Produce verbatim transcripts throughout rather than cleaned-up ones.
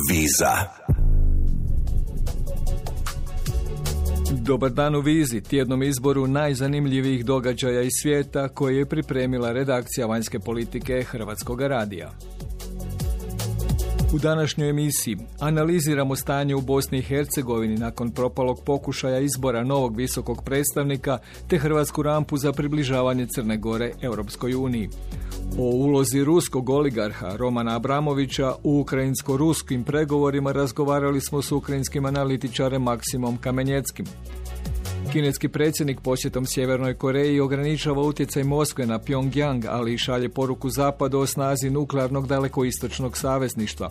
Viza. Dobar dan u Vizi, tjednom izboru najzanimljivijih događaja iz svijeta koje je pripremila redakcija vanjske politike Hrvatskog radija. U današnjoj emisiji analiziramo stanje u Bosni i Hercegovini nakon propalog pokušaja izbora novog visokog predstavnika te hrvatsku rampu za približavanje Crne Gore Europskoj uniji. O ulozi ruskog oligarha Romana Abramovića u ukrajinsko-ruskim pregovorima razgovarali smo s ukrajinskim analitičarem Maksimom Kamenjeckim. Kineski predsjednik posjetom Sjevernoj Koreji ograničava utjecaj Moskve na Pyongyang, ali i šalje poruku Zapadu o snazi nuklearnog dalekoistočnog savezništva.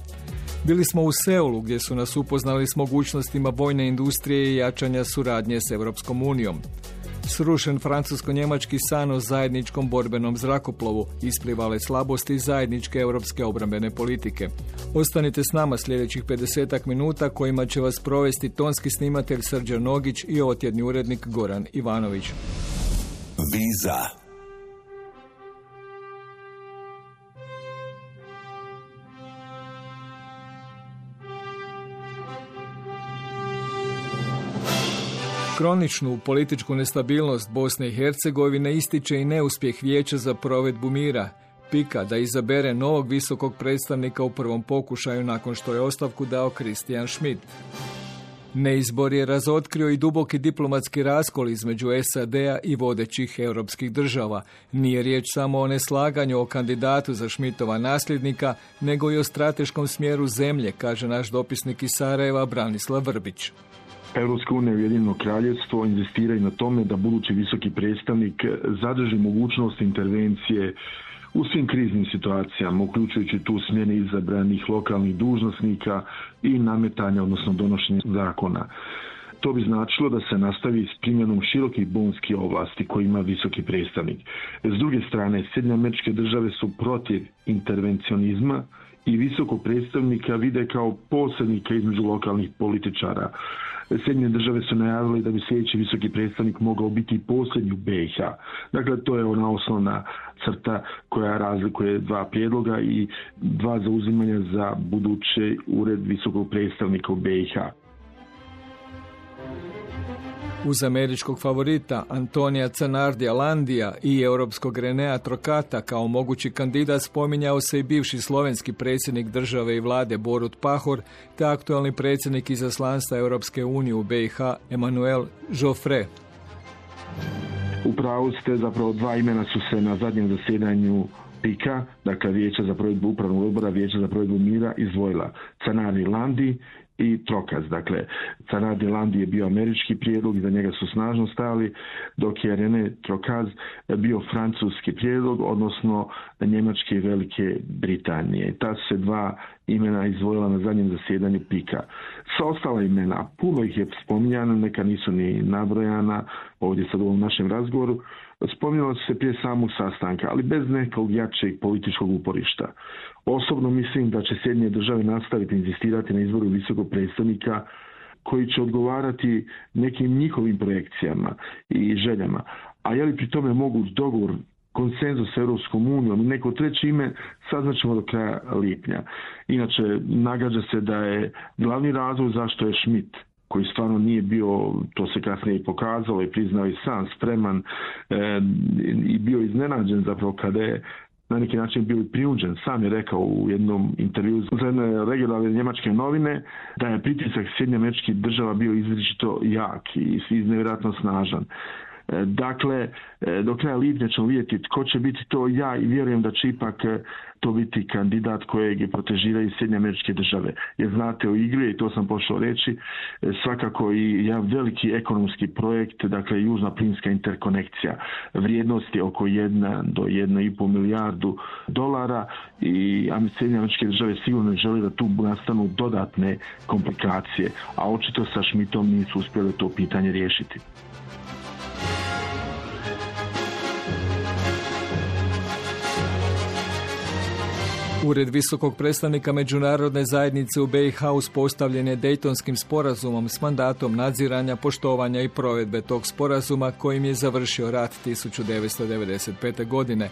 Bili smo u Seulu gdje su nas upoznali s mogućnostima vojne industrije i jačanja suradnje s Europskom unijom. Srušen francusko-njemački san o zajedničkom borbenom zrakoplovu, isplivale slabosti zajedničke europske obrambene politike. Ostanite s nama sljedećih pedesetak minuta kojima će vas provesti tonski snimatelj Srđan Nogić i ovotjedni urednik Goran Ivanović. Viza. Kroničnu političku nestabilnost Bosne i Hercegovine ističe i neuspjeh Vijeća za provedbu mira, Pika, da izabere novog visokog predstavnika u prvom pokušaju nakon što je ostavku dao Christian Schmidt. Neizbor je razotkrio i duboki diplomatski raskol između S A D-a i vodećih europskih država. Nije riječ samo o neslaganju o kandidatu za Schmidtova nasljednika, nego i o strateškom smjeru zemlje, kaže naš dopisnik iz Sarajeva Branislav Vrbić. Europska unija i Ujedinjeno kraljevstvo inzistiraju na tome da budući visoki predstavnik zadrži mogućnost intervencije u svim kriznim situacijama, uključujući tu smjene izabranih lokalnih dužnosnika i nametanja, odnosno donošenja zakona. To bi značilo da se nastavi s primjenom širokih bonskih ovlasti koje ima visoki predstavnik. S druge strane, Sjedinjene Američke Države su protiv intervencionizma i visokog predstavnika vide kao posrednika između lokalnih političara. Sjedinjene Države su najavili da bi sljedeći visoki predstavnik mogao biti posljednji u B i H. Dakle, to je ona osnovna crta koja razlikuje dva prijedloga i dva zauzimanja za budući ured visokog predstavnika u B i H. Uz američkog favorita Antonija Canardija Landija i europskog Renea Trokata kao mogući kandidat spominjao se i bivši slovenski predsjednik države i vlade Borut Pahor te aktualni predsjednik izaslanstva Europske unije u B i H Emmanuel Joffre. U pravu ste, zapravo dva imena su se na zadnjem zasjedanju Pika, dakle Vijeća za provedbu upravnog odbora, Vijeća za provedbu mira, izdvojila Canardi Landi i Trokaz. Dakle, Canardi Landi je bio američki prijedlog i za njega su snažno stali, dok je René Trokaz bio francuski prijedlog, odnosno Njemačke i Velike Britanije. Ta su se dva imena izdvojila na zadnjem zasjedanju Pika. Sva ostala imena, puno ih je spominjano, neka nisu ni nabrojana ovdje sad u ovom našem razgovoru, spominjala su se prije samog sastanka, ali bez nekog jačeg političkog uporišta. Osobno mislim da će Sjedinjene Države nastaviti inzistirati na izboru visokog predstavnika koji će odgovarati nekim njihovim projekcijama i željama. A je li pri tome moguć dogovor, konsenzus s Europskom unijom i neko treće ime, saznaćemo do kraja lipnja. Inače, nagađa se da je glavni razlog zašto je Schmidt, koji stvarno nije bio, to se kasnije i pokazalo i priznao i sam, spreman e, i bio iznenađen zapravo kada je na neki način bio prinuđen. Sam je rekao u jednom intervju za jedne regionalne njemačke novine da je pritisak Sjedinjenih Američkih Država bio izričito jak i nevjerojatno snažan. Dakle, do kraja lipnja ćemo vidjeti tko će biti to, ja i vjerujem da će ipak to biti kandidat kojeg je protežiraju Sjedinjene Američke Države. Jer znate, u igri, i to sam pošao reći, svakako i jedan veliki ekonomski projekt, dakle južna plinska interkonekcija. Vrijednost je oko jedna do jedna i pol milijardu dolara i Sjedinjene Američke Države sigurno žele da tu nastanu dodatne komplikacije, a očito sa Schmidtom nisu uspjeli to pitanje riješiti. Ured visokog predstavnika međunarodne zajednice u B i H uspostavljen je Dejtonskim sporazumom s mandatom nadziranja, poštovanja i provedbe tog sporazuma kojim je završio rat tisuću devetsto devedeset pete. godine.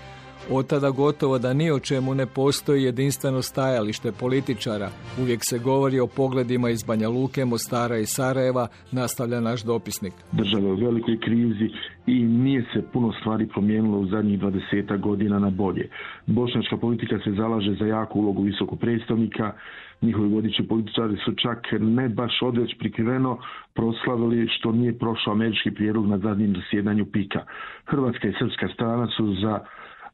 Od tada gotovo da ni o čemu ne postoji jedinstveno stajalište političara. Uvijek se govori o pogledima iz Banja Luke, Mostara i Sarajeva, nastavlja naš dopisnik. Država je u velikoj krizi i nije se puno stvari promijenilo u zadnjih dvadesetak godina na bolje. Bošnjačka politika se zalaže za jaku ulogu visokog predstavnika. Njihovi vodeći političari su čak ne baš odveć prikriveno proslavili što nije prošao američki prijedlog na zadnjem zasjedanju pika. Hrvatska i srpska strana su za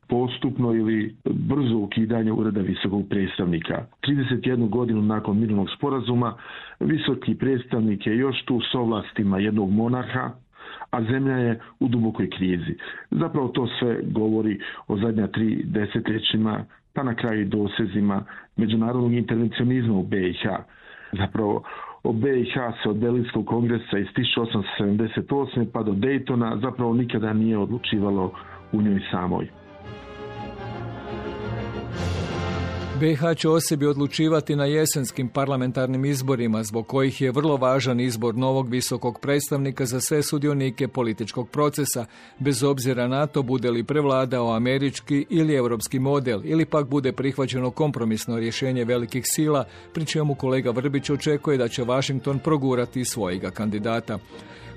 postupno ili brzo ukidanje ureda visokog predstavnika. trideset jednu godinu nakon mirovnog sporazuma visoki predstavnik je još tu s ovlastima jednog monarha, a zemlja je u dubokoj krizi. Zapravo to sve govori o zadnja tri desetljećima, pa na kraju dosezima međunarodnog intervencionizma u be i ha. Zapravo o be i ha se od Berlinskog kongresa iz tisuću osamsto sedamdeset osme pa do Daytona zapravo nikada nije odlučivalo u njoj samoj. be i ha će o sebi odlučivati na jesenskim parlamentarnim izborima, zbog kojih je vrlo važan izbor novog visokog predstavnika za sve sudionike političkog procesa, bez obzira na to bude li prevladao američki ili europski model, ili pak bude prihvaćeno kompromisno rješenje velikih sila, pri čemu kolega Vrbić očekuje da će Washington progurati svojega kandidata.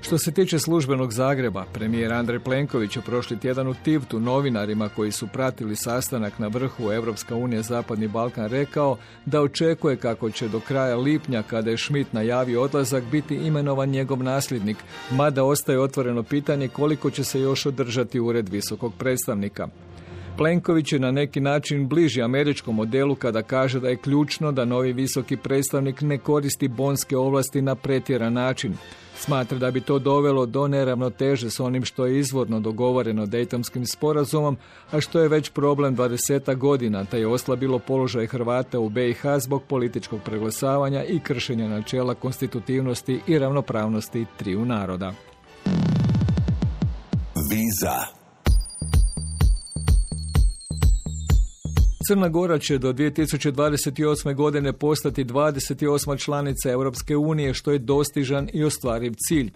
Što se tiče službenog Zagreba, premijer Andrej Plenković je prošli tjedan u Tivtu novinarima koji su pratili sastanak na vrhu Europska unija Zapadni Balkan rekao da očekuje kako će do kraja lipnja, kada je Schmidt najavio odlazak, biti imenovan njegov nasljednik, mada ostaje otvoreno pitanje koliko će se još održati ured visokog predstavnika. Plenković je na neki način bliži američkom modelu kada kaže da je ključno da novi visoki predstavnik ne koristi bonske ovlasti na pretjeran način. Smatra da bi to dovelo do neravnoteže s onim što je izvorno dogovoreno Dejtonskim sporazumom, a što je već problem dvadesetak godina, te je oslabilo položaj Hrvata u be i ha zbog političkog preglasavanja i kršenja načela konstitutivnosti i ravnopravnosti triju naroda. Viza. Crna Gora će do dvije tisuće dvadeset osme. godine postati dvadeset osma članica Europske unije, što je dostižan i ostvariv cilj.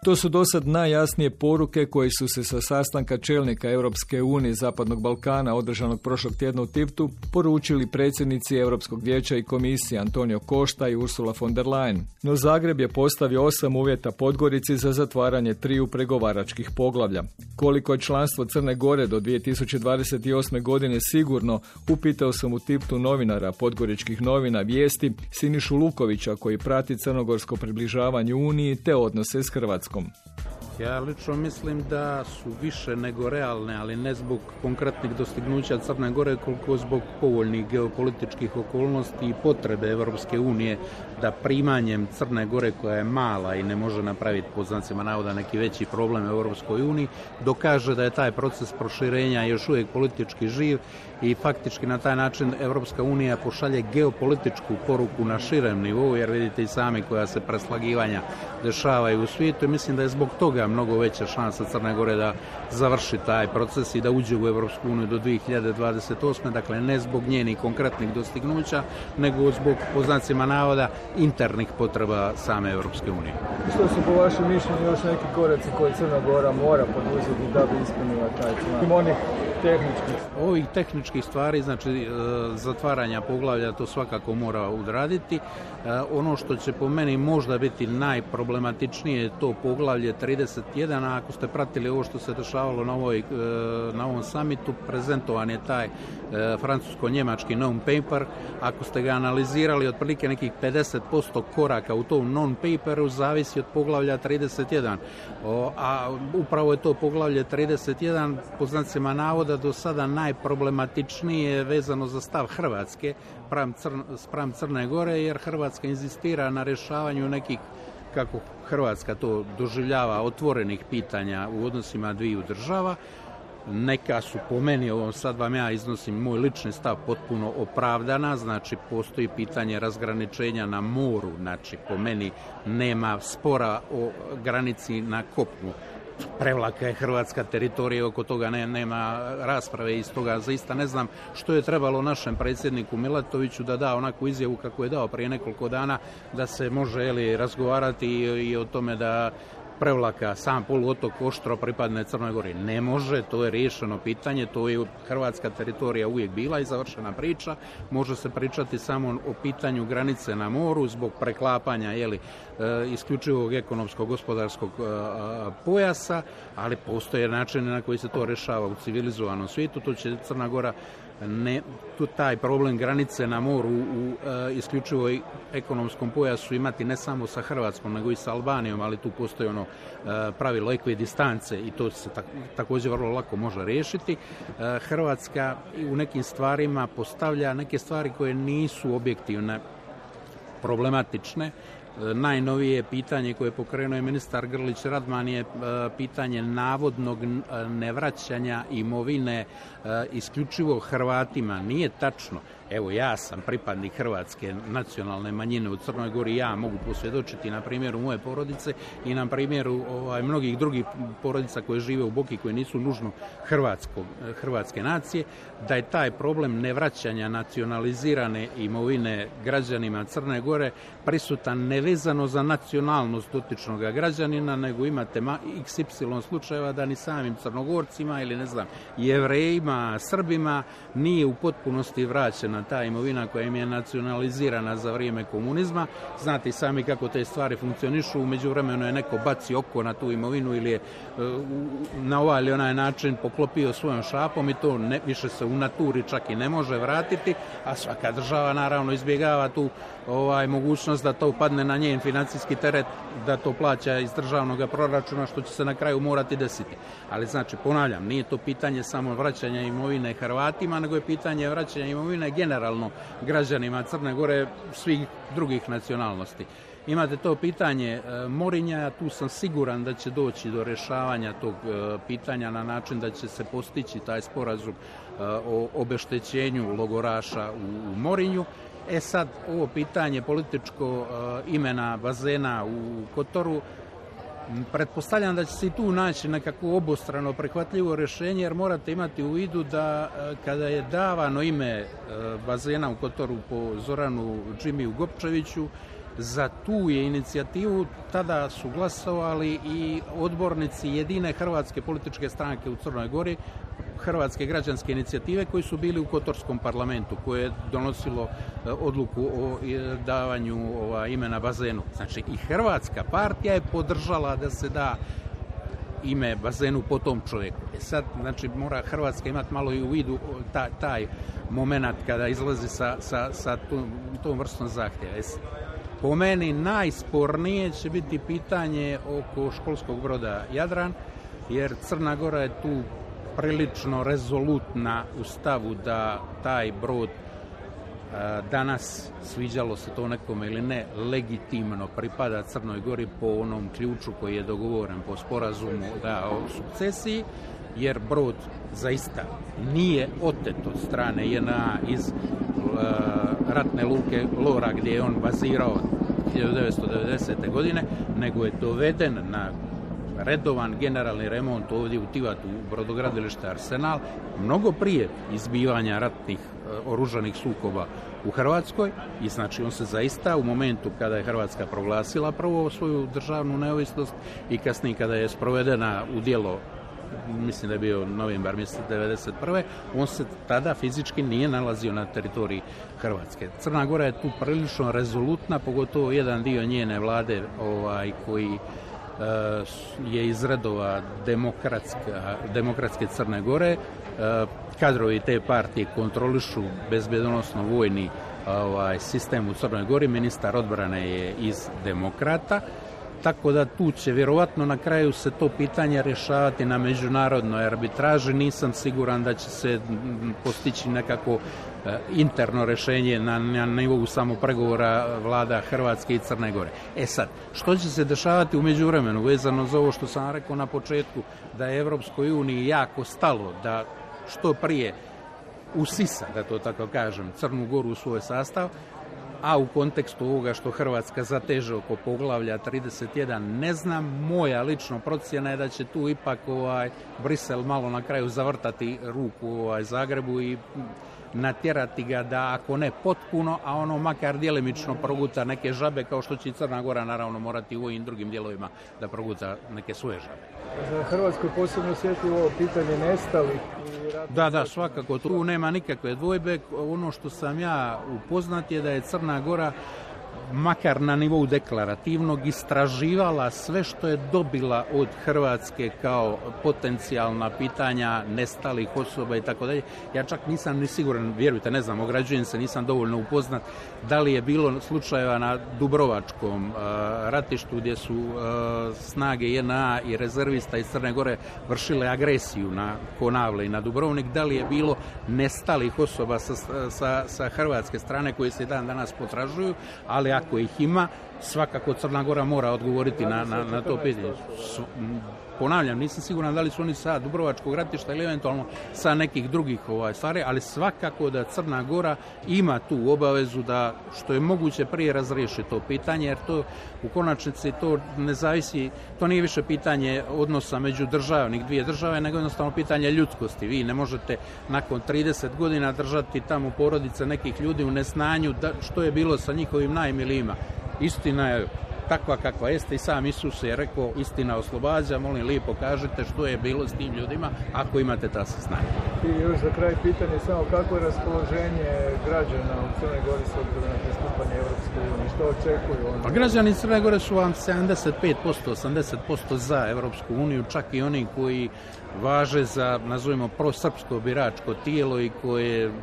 To su dosad najjasnije poruke koje su se sa sastanka čelnika Europske unije Zapadnog Balkana održanog prošlog tjedna u Tivtu poručili predsjednici Europskog vijeća i komisije Antonio Costa i Ursula von der Leyen. No Zagreb je postavio osam uvjeta Podgorici za zatvaranje triju pregovaračkih poglavlja. Koliko je članstvo Crne Gore do dvije tisuće dvadeset osme. godine sigurno, upitao sam u Tivtu novinara podgoričkih novina Vijesti Sinišu Lukovića, koji prati crnogorsko približavanje Uniji te odnose s Hrvatskom. Ja lično mislim da su više nego realne, ali ne zbog konkretnih dostignuća Crne Gore, koliko zbog povoljnih geopolitičkih okolnosti i potrebe Europske unije da primanjem Crne Gore, koja je mala i ne može napraviti pod znacima navoda neki veći problem u Europskoj uniji, dokaže da je taj proces proširenja još uvijek politički živ i faktički na taj način Europska unija pošalje geopolitičku poruku na širem nivou, jer vidite i sami koja se preslagivanja dešavaju u svijetu i mislim da je zbog toga mnogo veća šansa Crne Gore da završi taj proces i da uđe u Europsku uniju do dvije hiljade dvadeset osme. Dakle, ne zbog njenih konkretnih dostignuća, nego zbog, po znacima navoda, internih potreba same Europske unije. Što su po vašem mišljenju još neki koraci koje Crna Gora mora poduzeti da bi ispunila taj cilj? Onih tehničkih. Ovih tehničkih stvari, znači zatvaranja poglavlja, to svakako mora odraditi. Ono što će po meni možda biti najproblematičnije je to poglavlje trideset jedan, a ako ste pratili ovo što se dešavalo na, ovoj, na ovom samitu, prezentovan je taj francusko-njemački non-paper. Ako ste ga analizirali, otprilike nekih pedeset posto koraka u tom non-paperu zavisi od poglavlja trideset jedan. O, a upravo je to poglavlje trideset jedan, po znacima navoda, do sada najproblematičnije vezano za stav Hrvatske spram, Crn, spram Crne Gore, jer Hrvatska inzistira na rješavanju nekih, kako Hrvatska to doživljava, otvorenih pitanja u odnosima dviju država. Neka su po meni, ovo sad vam ja iznosim moj lični stav, potpuno opravdana, znači postoji pitanje razgraničenja na moru, znači po meni nema spora o granici na kopnu. Prevlaka je Hrvatska teritorija, oko toga ne, nema rasprave i stoga zaista ne znam što je trebalo našem predsjedniku Milatoviću da da onakvu izjavu kako je dao prije nekoliko dana, da se može eli, razgovarati i, i o tome da Prevlaka, sam poluotok Oštro pripadne Crnoj Gori. Ne može, to je riješeno pitanje, to je hrvatska teritorija uvijek bila i završena priča. Može se pričati samo o pitanju granice na moru zbog preklapanja jeli, isključivog ekonomskog gospodarskog pojasa, ali postoje načini na koji se to rješava u civilizovanom svijetu. To će Crna Gora ne, tu taj problem granice na moru u, u isključivoj ekonomskom pojasu imati ne samo sa Hrvatskom nego i sa Albanijom, ali tu postoji ono pravilo ekvidistance i to se tak, također vrlo lako može riješiti. Hrvatska u nekim stvarima postavlja neke stvari koje nisu objektivne, problematične. Najnovije pitanje koje je pokrenuo je ministar Grlić Radman je pitanje navodnog nevraćanja imovine isključivo Hrvatima. Nije tačno. Evo, ja sam pripadnik hrvatske nacionalne manjine u Crnoj Gori, ja mogu posvjedočiti na primjeru moje porodice i na primjeru ovaj, mnogih drugih porodica koje žive u Boki, koje nisu nužno hrvatskog, hrvatske nacije, da je taj problem nevraćanja nacionalizirane imovine građanima Crne Gore prisutan nevezano za nacionalnost dotičnog građanina, nego imate iks ipsilon slučajeva da ni samim Crnogorcima ili ne znam, Jevrejima, Srbima nije u potpunosti vraćena ta imovina koja im je nacionalizirana za vrijeme komunizma. Znate sami kako te stvari funkcionišu, u međuvremenu je neko baci oko na tu imovinu ili je na ovaj ili onaj način poklopio svojom šapom i to ne, više se u naturi čak i ne može vratiti, a svaka država naravno izbjegava tu ovaj, mogućnost da to padne na njen financijski teret, da to plaća iz državnog proračuna, što će se na kraju morati desiti. Ali znači, ponavljam, nije to pitanje samo vraćanja imovine Hrvatima, nego je pitanje vraćanja imovine generalno građanima Crne Gore svih drugih nacionalnosti. Imate to pitanje Morinja, tu sam siguran da će doći do rješavanja tog pitanja na način da će se postići taj sporazum o obeštećenju logoraša u Morinju. E sad, ovo pitanje političko imena bazena u Kotoru, pretpostavljam da će se i tu naći nekako obostrano prihvatljivo rješenje, jer morate imati u vidu da kada je davano ime bazena u Kotoru po Zoranu Džimiju Gopčeviću, za tu je inicijativu tada su glasovali i odbornici jedine hrvatske političke stranke u Crnoj Gori, Hrvatske građanske inicijative, koji su bili u Kotorskom parlamentu, koje je donosilo odluku o davanju ova, imena bazenu. Znači i Hrvatska partija je podržala da se da ime bazenu po tom čovjeku. E sad, znači, mora Hrvatska imati malo i u vidu taj, taj moment kada izlazi sa, sa, sa tom, tom vrstom zahtjeva. Po meni najspornije će biti pitanje oko školskog broda Jadran, jer Crna Gora je tu prilično rezolutna u stavu da taj brod a, danas, sviđalo se to nekome ili ne, legitimno pripada Crnoj Gori po onom ključu koji je dogovoren po sporazumu da, o sukcesiji, jer brod zaista nije otet od strane J N A iz a, ratne luke Lora gdje je on bazirao hiljadu devetsto devedesete. godine, nego je doveden na redovan generalni remont ovdje u Tivatu u brodogradilište Arsenal mnogo prije izbivanja ratnih oružanih sukoba u Hrvatskoj i znači on se zaista u momentu kada je Hrvatska proglasila prvo svoju državnu neovisnost i kasnije kada je sprovedena u djelo, mislim da je bio novembar mjesec devedeset prve. on se tada fizički nije nalazio na teritoriji Hrvatske. Crna Gora je tu prilično rezolutna, pogotovo jedan dio njene vlade ovaj, koji je iz redova demokratske Crne Gore. Kadrovi te partije kontrolišu bezbjedonosno vojni ovaj, sistem u Crnoj Gori. Ministar odbrane je iz demokrata. Tako da tu će vjerovatno na kraju se to pitanje rješavati na međunarodnoj arbitraži. Nisam siguran da će se postići nekako interno rješenje na, na nivou samo pregovora vlada Hrvatske i Crne Gore. E sad, što će se dešavati u međuvremenu vezano za ovo što sam rekao na početku, da je Europskoj uniji jako stalo da što prije usisa, da to tako kažem, Crnu Goru u svoj sastav, a u kontekstu ovoga što Hrvatska zateže oko poglavlja trideset jedan, ne znam, moja lično procjena je da će tu ipak ovaj Brisel malo na kraju zavrtati ruku ovaj Zagrebu i natjerati ga da, ako ne potpuno, a ono makar djelimično proguta neke žabe, kao što će i Crna Gora naravno morati u ovim drugim dijelovima da proguta neke svoje žabe. Za Hrvatsku je posebno osjetljivo ovo pitanje nestalih. Da, da, svakako, tu nema nikakve dvojbe. Ono što sam ja upoznat je da je Crna Gora makar na nivou deklarativnog istraživala sve što je dobila od Hrvatske kao potencijalna pitanja nestalih osoba i tako dalje. Ja čak nisam ni siguran, vjerujte, ne znam, ograđujem se, nisam dovoljno upoznat da li je bilo slučajeva na Dubrovačkom uh, ratištu gdje su uh, snage J N A i rezervista iz Crne Gore vršile agresiju na Konavle i na Dubrovnik, da li je bilo nestalih osoba sa, sa, sa hrvatske strane koje se dan danas potražuju, ali ako ih ima, svakako Crna Gora mora odgovoriti na, na, na to pitanje. Ponavljam, nisam siguran da li su oni sa Dubrovačkog ratišta ili eventualno sa nekih drugih ovaj, stvari, ali svakako da Crna Gora ima tu obavezu da što je moguće prije razriješi to pitanje, jer to u konačnici to ne zavisi, to nije više pitanje odnosa među državnih dvije države, nego jednostavno pitanje ljudskosti. Vi ne možete nakon trideset godina držati tamo porodice nekih ljudi u neznanju da, što je bilo sa njihovim najmilijima. Istina je takva kakva jeste i sam Isus je rekao istina oslobađa, molim lijepo kažite što je bilo s tim ljudima ako imate ta saznanja. I još za kraj pitanje samo kako je raspoloženje građana u Crnoj Gori s obzirom na pristupanje Europske unije, što očekuju oni? Pa građani Crne Gore su vam sedamdeset pet posto, osamdeset posto za Europsku uniju, čak i oni koji važe za, nazovimo, prosrpsko biračko tijelo i koje uh,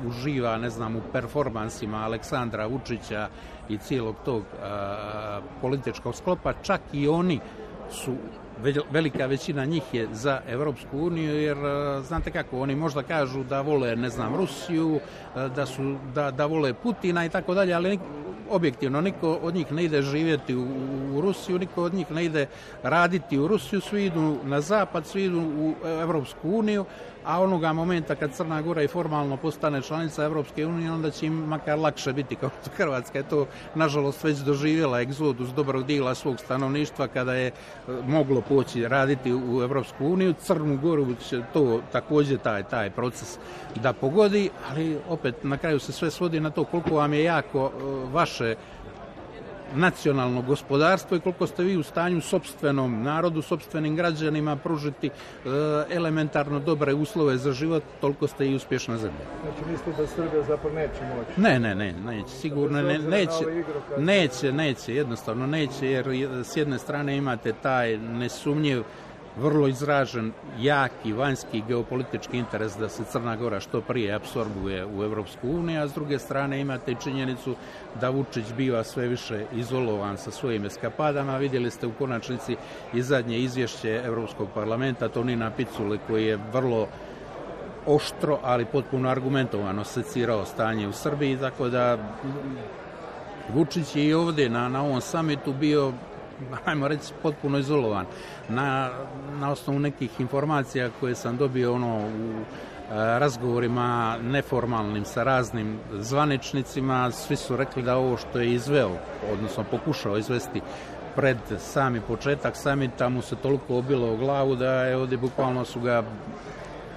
uživa, ne znam, u performansima Aleksandra Vučića i cijelog tog uh, političkog sklopa, čak i oni su, velika većina njih je za Europsku uniju, jer uh, znate kako, oni možda kažu da vole, ne znam, Rusiju, uh, da, su, da, da vole Putina i tako dalje, ali objektivno niko od njih ne ide živjeti u, u Rusiju, niko od njih ne ide raditi u Rusiju, svi idu na zapad, svi idu u Europsku uniju, a onoga momenta kad Crna Gora i formalno postane članica Europske unije, onda će im makar lakše biti, kao što Hrvatska je to nažalost već doživjela egzodus dobrog dijela svog stanovništva kada je moglo poći raditi u Europsku uniju. Crnu Goru će to također taj, taj proces da pogodi, ali opet na kraju se sve svodi na to koliko vam je jako vaše nacionalno gospodarstvo i koliko ste vi u stanju sopstvenom narodu, sopstvenim građanima pružiti e, elementarno dobre uslove za život, toliko ste i uspješna zemlja. Znači mislite da Srbija zapravo neće moći? Ne, ne, ne, neće, sigurno ne, neće, neće, neće, jednostavno neće, jer s jedne strane imate taj nesumnjiv, vrlo izražen, jaki, vanjski geopolitički interes da se Crna Gora što prije apsorbuje u Europsku uniju, a s druge strane imate i činjenicu da Vučić biva sve više izolovan sa svojim eskapadama. Vidjeli ste u konačnici i zadnje izvješće Europskog parlamenta Tonina Picule koji je vrlo oštro, ali potpuno argumentovano secirao stanje u Srbiji, tako da Vučić je i ovdje na, na ovom samitu bio, ajmo reći, potpuno izolovan. Na, na osnovu nekih informacija koje sam dobio ono u e, razgovorima neformalnim sa raznim zvaničnicima, svi su rekli da ovo što je izveo, odnosno pokušao izvesti pred sami početak samita mu se toliko obilo u glavu da je ovdje bukvalno su ga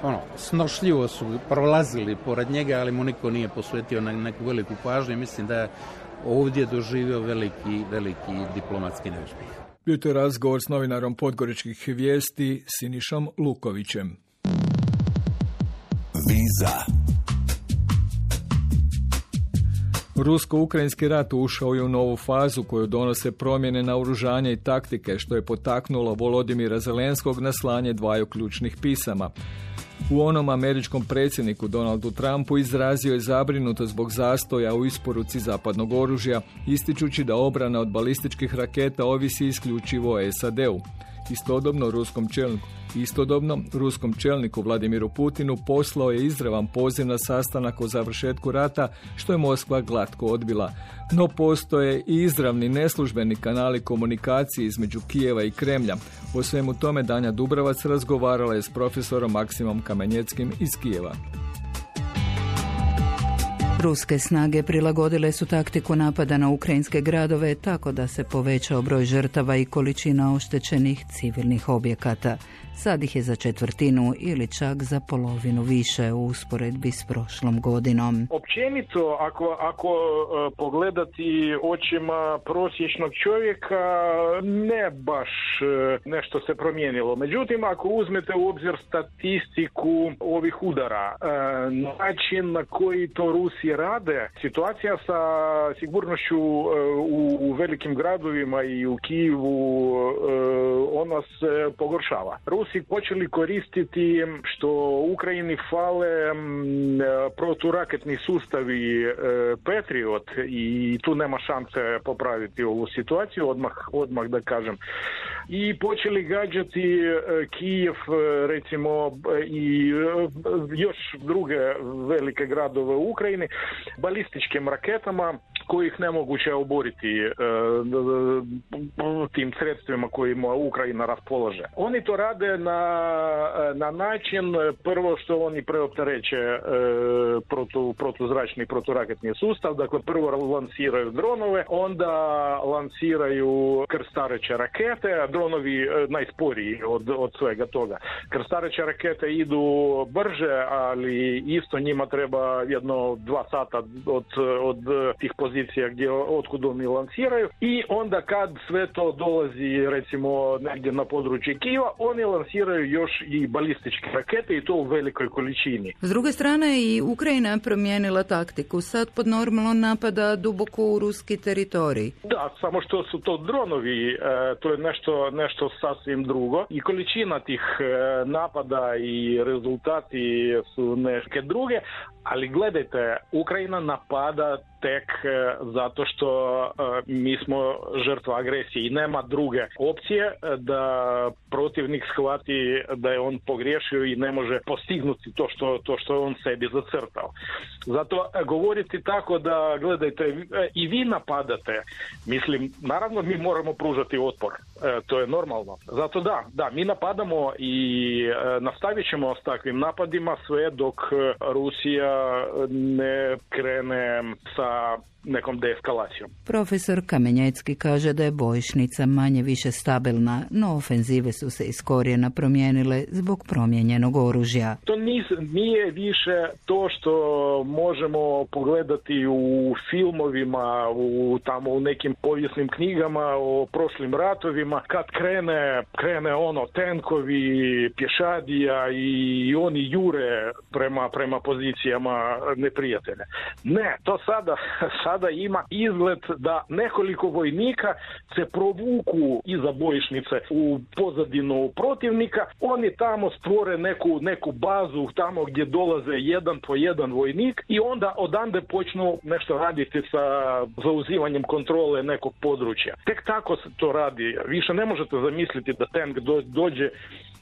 ono, snošljivo su prolazili pored njega, ali mu niko nije posvetio neku veliku pažnju. Mislim da je ovdje doživio veliki, veliki diplomatski neuspjeh. Bio to razgovor s novinarom Podgoričkih vijesti Sinišom Lukovićem. Viza. Rusko-ukrajinski rat ušao je u novu fazu koju donose promjene naoružanja i taktike, što je potaknulo Volodimira Zelenskog na slanje dvaju ključnih pisama. U onom američkom predsjedniku Donaldu Trumpu izrazio je zabrinutost zbog zastoja u isporuci zapadnog oružja, ističući da obrana od balističkih raketa ovisi isključivo o S A D-u. Istodobno ruskom čelniku, istodobno ruskom čelniku Vladimiru Putinu poslao je izravan poziv na sastanak o završetku rata, što je Moskva glatko odbila. No postoje i izravni neslužbeni kanali komunikacije između Kijeva i Kremlja. O svemu tome Danja Dubravac razgovarala je s profesorom Maksimom Kamenjeckim iz Kijeva. Ruske snage prilagodile su taktiku napada na ukrajinske gradove tako da se povećao broj žrtava i količina oštećenih civilnih objekata. Sad ih je za četvrtinu ili čak za polovinu više u usporedbi s prošlom godinom. Općenito, ako, ako pogledati očima prosječnog čovjeka, ne baš nešto se promijenilo. Međutim, ako uzmete u obzir statistiku ovih udara, način na koji to Rusi rade, situacija sa sigurnošću u, u velikim gradovima i u Kijevu, ona se pogoršava. Rusi počeli koristiti što Ukrajini fale proturaketni sustavi Patriot i tu nema šanse popraviti ovu situaciju, odmah, odmah da kažem. I počeli gađati Kijev, recimo, i još druge velike gradove u Ukrajini balističkim raketama kojih nemoguće oboriti e, tim sredstvima kojima Ukrajina raspolaže. Oni to rade na, na način, prvo što oni preoptereće e, protu, protuzračni proturaketni sustav, dakle prvo lansiraju dronove, onda lansiraju krstareće rakete, a dronovi e, najsporiji od, od svega toga. Krstareće rakete idu brže, ali isto njima treba jedno dva sata od, od tih pozicija gdje otkud oni lansiraju i onda kad sve to dolazi recimo negdje na područje Kijeva, oni lansiraju još i balističke rakete i to u velikoj količini. S druge strane i Ukrajina promijenila taktiku, sad pod normalno napada duboko u ruski teritorij. Da, samo što su to dronovi, e, to je nešto, nešto sasvim drugo i količina tih e, napada i rezultati su neke druge, ali gledajte, Ukrajina napada tek zato što mi smo žrtva agresije i nema druge opcije da protivnik shvati da je on pogriješio i ne može postignuti to što, to što je on sebi zacrtao. Zato govoriti tako da, gledajte, i vi napadate, mislim, naravno mi moramo pružati otpor, to je normalno. Zato da, da, mi napadamo i nastavit ćemo s takvim napadima sve dok Rusija ne krene sa nekom deeskalacijom. Profesor Kamenjecki kaže da je bojišnica manje više stabilna, no ofenzive su se iz korijena promijenile zbog promijenjenog oružja. To nije više to što možemo pogledati u filmovima, u, tamo u nekim povijesnim knjigama o prošlim ratovima, kad krene, krene ono tenkovi, pješadija i oni jure prema, prema pozicijama neprijatelja. Ne, to sada, sada ima izgled da nekoliko vojnika se provuku iza bojišnice u pozadinu protivnika, oni tamo stvore neku, neku bazu tamo gdje dolaze jedan po jedan vojnik i onda odande počnu nešto raditi sa zauzimanjem kontrole nekog područja. Tek tako se to radi. Više ne možete zamisliti da tank dođe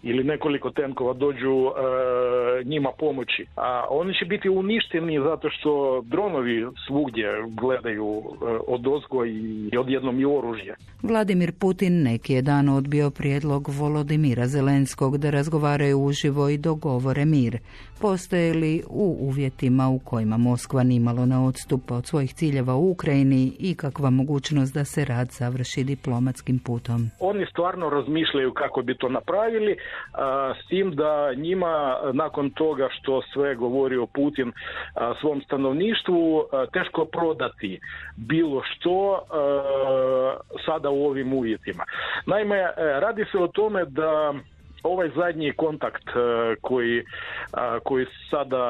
ili nekoliko tenkova dođu e, njima pomoći. A oni će biti uništeni zato što dronovi svugdje gledaju e, odozgo i odjednom i oružje. Vladimir Putin neki je dan odbio prijedlog Volodimira Zelenskog da razgovaraju uživo i dogovore mir. Postoje li u uvjetima u kojima Moskva nimalo ne odstupa od svojih ciljeva u Ukrajini i kakva mogućnost da se rad završi diplomatskim putom? Oni stvarno razmišljaju kako bi to napravili, a, s tim da njima nakon toga što sve govorio Putin a, svom stanovništvu a, teško prodati bilo što a, sada u ovim uvjetima. Naime, radi se o tome da ovaj zadnji kontakt koji, koji sada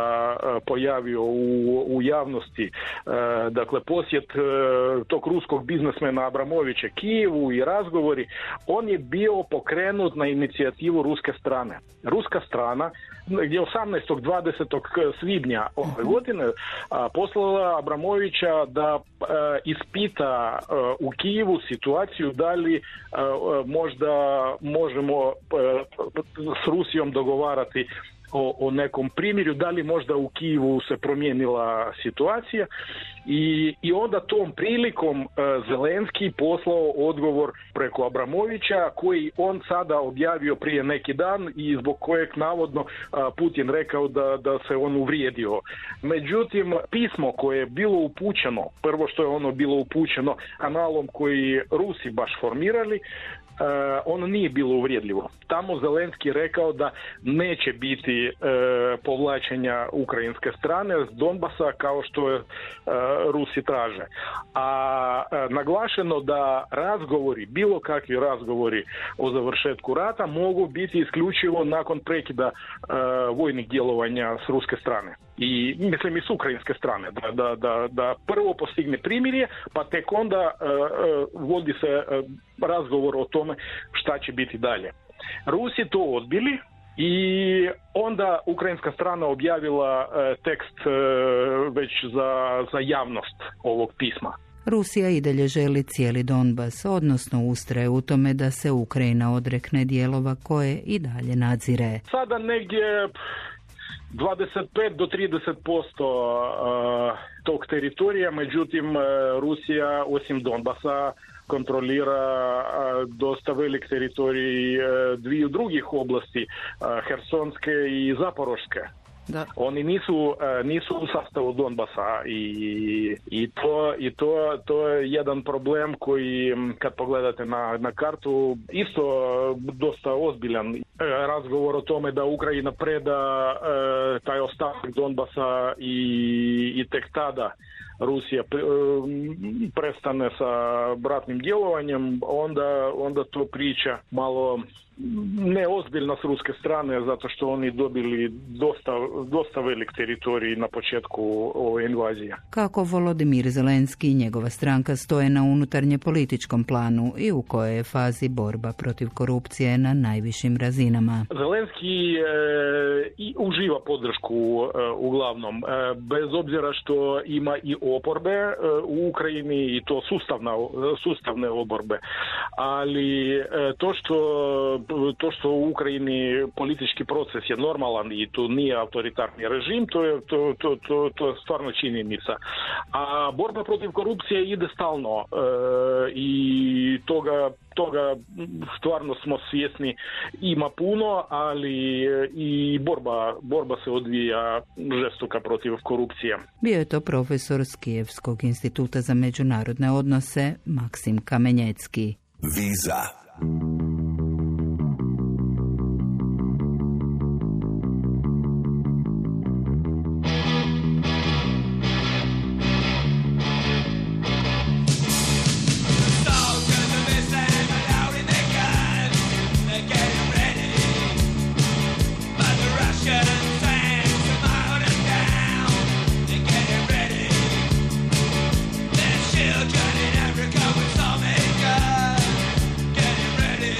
pojavio u, u javnosti, dakle posjet tog ruskog biznesmena Abramovića Kijevu i razgovori, on je bio pokrenut na inicijativu ruske strane. Ruska strana gdje osamnaestog dvadesetog svibnja ove godine poslala Abramovića da ispita u Kijevu situaciju da li možda možemo s Rusijom dogovarati o, o nekom primjerju, da li možda u Kijevu se promijenila situacija I, i onda tom prilikom uh, Zelenski poslao odgovor preko Abramovića koji on sada objavio prije neki dan i zbog kojeg navodno uh, Putin rekao da, da se on uvrijedio. Međutim, pismo koje je bilo upućeno, prvo što je ono bilo upućeno kanalom koji Rusi baš formirali, Uh, ono nije bilo uvrijedljivo. Tamo Zelenski rekao da neće biti uh, povlačenja ukrajinske strane s Donbasa kao što je uh, Rusi traže. A uh, naglašeno da razgovori, bilo kakvi razgovori o završetku rata mogu biti isključivo nakon prekida uh, vojnih djelovanja s ruske strane. I mislim i s ukrajinske strane, da, da, da, da prvo postigne primirje, pa tek onda uh, uh, vodi se uh, razgovor o tome šta će biti dalje. Rusi to odbili i onda ukrajinska strana objavila uh, tekst uh, već za, za javnost ovog pisma. Rusija i dalje želi cijeli Donbas, odnosno ustraje u tome da se Ukrajina odrekne dijelova koje i dalje nadzire. Sada negdje dvadeset pet do trideset posto uh, tog teritorija, međutim uh, Rusija osim Donbasa kontrolira uh, dosta velik teritorij uh, dviju drugih oblasti, uh, Hersonske i Zaporoške. Da. Oni nisu, nisu u sastavu Donbasa i, i, to, i to, to je jedan problem koji kad pogledate na, na kartu isto dosta ozbiljan. Razgovor o tome da Ukrajina preda e, taj ostatak Donbasa i, i tek tada Rusija pre, e, prestane sa bratnim djelovanjem, onda, onda to priča malo neozbiljna s ruske strane, zato što oni dobili dosta, dosta velik teritorij na početku ove invazije. Kako Volodimir Zelenski i njegova stranka stoje na unutarnje političkom planu i u kojoj je fazi borba protiv korupcije na najvišim razinama? Zelenski e, i uživa podršku e, uglavnom, e, bez obzira što ima i oporbe e, u Ukrajini i to sustavna, sustavne oporbe, ali e, to što to što u Ukrajini politički proces je normalan i tu nije autoritarni režim, to je, to, to, to, to je stvarno činjenica. A borba protiv korupcije ide stalno e, i toga, toga stvarno smo svjesni, ima puno, ali i borba, borba se odvija žestoka protiv korupcije. Bio je to profesor s Kijevskog instituta za međunarodne odnose Maksim Kamenjecki. Viza. Children in Africa with some acre, getting ready.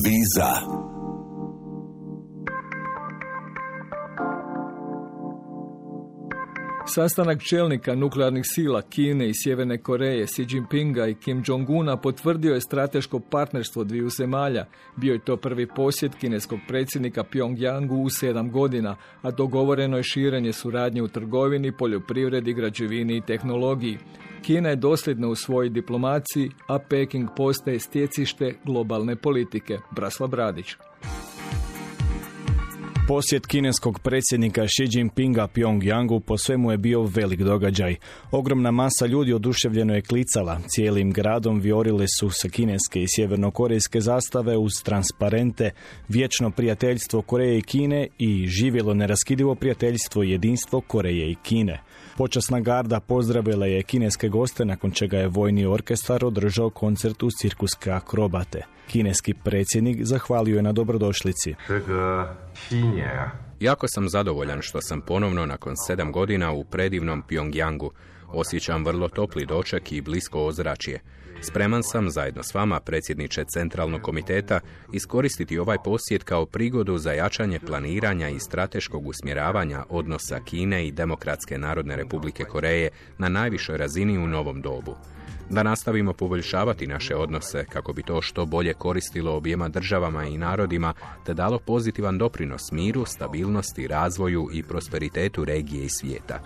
Viza. Sastanak čelnika nuklearnih sila Kine i Sjeverne Koreje, Xi Jinpinga i Kim Jong-una potvrdio je strateško partnerstvo dviju zemalja. Bio je to prvi posjet kineskog predsjednika Pyongyangu u sedam godina, a dogovoreno je širenje suradnje u trgovini, poljoprivredi, građevini i tehnologiji. Kina je dosljedna u svojoj diplomaciji, a Peking postaje stjecište globalne politike. Braslav Bradić. Posjet kineskog predsjednika Xi Jinpinga Pyongyangu po svemu je bio velik događaj. Ogromna masa ljudi oduševljeno je klicala. Cijelim gradom viorile su sa kineske i sjevernokorejske zastave uz transparente, vječno prijateljstvo Koreje i Kine i živjelo neraskidivo prijateljstvo i jedinstvo Koreje i Kine. Počasna garda pozdravila je kineske goste, nakon čega je vojni orkestar održao koncert uz cirkuske akrobate. Kineski predsjednik zahvalio je na dobrodošlici. Jako sam zadovoljan što sam ponovno nakon sedam godina u predivnom Pyongyangu. Osjećam vrlo topli doček i blisko ozračje. Spreman sam, zajedno s vama, predsjedniče Centralnog komiteta, iskoristiti ovaj posjet kao prigodu za jačanje planiranja i strateškog usmjeravanja odnosa Kine i Demokratske narodne republike Koreje na najvišoj razini u novom dobu. Da nastavimo poboljšavati naše odnose kako bi to što bolje koristilo objema državama i narodima te dalo pozitivan doprinos miru, stabilnosti, razvoju i prosperitetu regije i svijeta.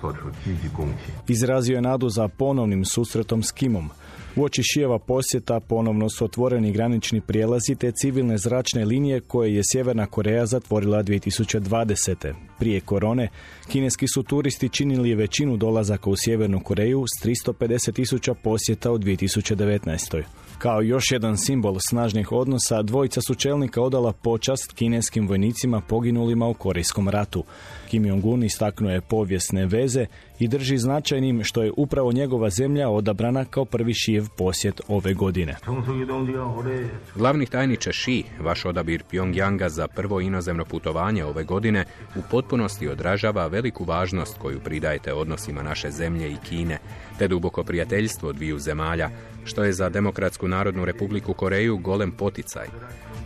Izrazio je nadu za ponovnim susretom s Kimom. Uoči Šijeva posjeta ponovno su otvoreni granični prijelazi te civilne zračne linije koje je Sjeverna Koreja zatvorila dvije tisuće dvadesete. Prije korone, kineski su turisti činili većinu dolazaka u Sjevernu Koreju s tristo pedeset tisuća posjeta u dvije tisuće devetnaestoj. Kao još jedan simbol snažnih odnosa, dvojica su čelnika odala počast kineskim vojnicima poginulima u Korejskom ratu. Kim Jong-un istaknuo je povijesne veze i drži značajnim što je upravo njegova zemlja odabrana kao prvi Šijev posjet ove godine. Glavni tajniče Xi, vaš odabir Pyongyanga za prvo inozemno putovanje ove godine u potpunosti odražava veliku važnost koju pridajete odnosima naše zemlje i Kine, te duboko prijateljstvo dviju zemalja, što je za Demokratsku narodnu republiku Koreju golem poticaj.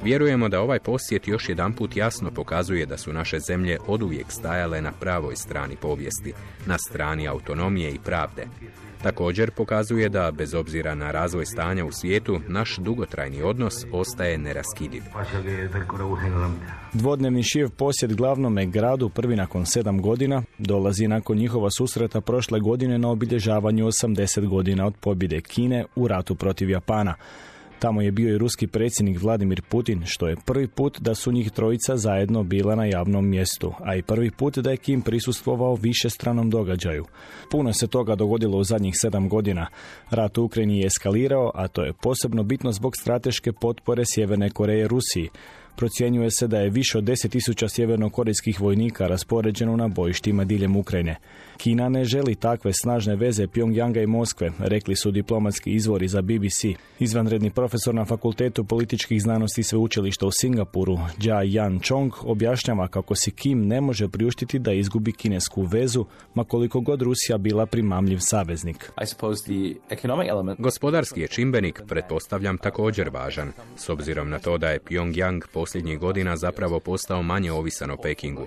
Vjerujemo da ovaj posjet još jedanput jasno pokazuje da su naše zemlje oduvijek stajale na pravoj strani povijesti, na strani autonomije i pravde. Također pokazuje da, bez obzira na razvoj stanja u svijetu, naš dugotrajni odnos ostaje neraskidiv. Dvodnevni Šijev posjet glavnome gradu, prvi nakon sedam godina, dolazi nakon njihova susreta prošle godine na obilježavanju osamdeset godina od pobjede Kine u ratu protiv Japana. Tamo je bio i ruski predsjednik Vladimir Putin, što je prvi put da su njih trojica zajedno bila na javnom mjestu, a i prvi put da je Kim prisustvovao višestranom događaju. Puno se toga dogodilo u zadnjih sedam godina. Rat u Ukrajini je eskalirao, a to je posebno bitno zbog strateške potpore Sjeverne Koreje Rusiji. Procjenjuje se da je više od deset tisuća sjevernokorejskih vojnika raspoređeno na bojištima diljem Ukrajine. Kina ne želi takve snažne veze Pyongyanga i Moskve, rekli su diplomatski izvori za B B C. Izvanredni profesor na Fakultetu političkih znanosti sveučilišta u Singapuru, Jia Yan Chong, objašnjava kako si Kim ne može priuštiti da izgubi kinesku vezu, ma koliko god Rusija bila primamljiv saveznik. Gospodarski je čimbenik, pretpostavljam, također važan, s obzirom na to da je Pyongyang posljednjih godina zapravo postao manje ovisan o Pekingu.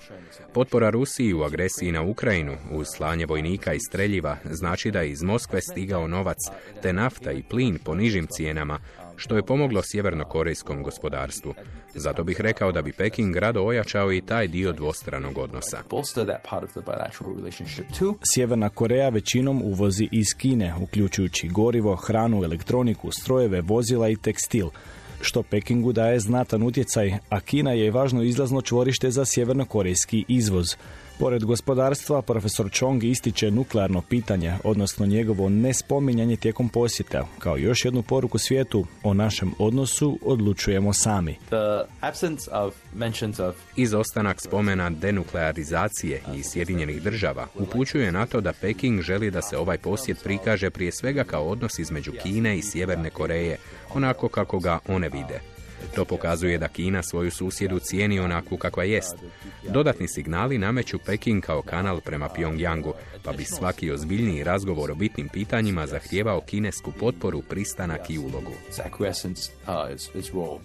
Potpora Rusiji u agresiji na Ukrajinu uz slanje vojnika i streljiva znači da je iz Moskve stigao novac, te nafta i plin po nižim cijenama, što je pomoglo sjevernokorejskom gospodarstvu. Zato bih rekao da bi Peking rado ojačao i taj dio dvostranog odnosa. Sjeverna Koreja većinom uvozi iz Kine, uključujući gorivo, hranu, elektroniku, strojeve, vozila i tekstil, što Pekingu daje znatan utjecaj, a Kina je važno izlazno čvorište za sjevernokorejski izvoz. Pored gospodarstva, profesor Chong ističe nuklearno pitanje, odnosno njegovo nespominjanje tijekom posjeta, kao još jednu poruku svijetu: o našem odnosu odlučujemo sami. Izostanak spomena denuklearizacije i Sjedinjenih država upućuje na to da Peking želi da se ovaj posjet prikaže prije svega kao odnos između Kine i Sjeverne Koreje, onako kako ga one vide. To pokazuje da Kina svoju susjedu cijeni onakvu kakva jest. Dodatni signali nameću Peking kao kanal prema Pyongyangu, pa bi svaki ozbiljniji razgovor o bitnim pitanjima zahtijevao kinesku potporu, pristanak i ulogu.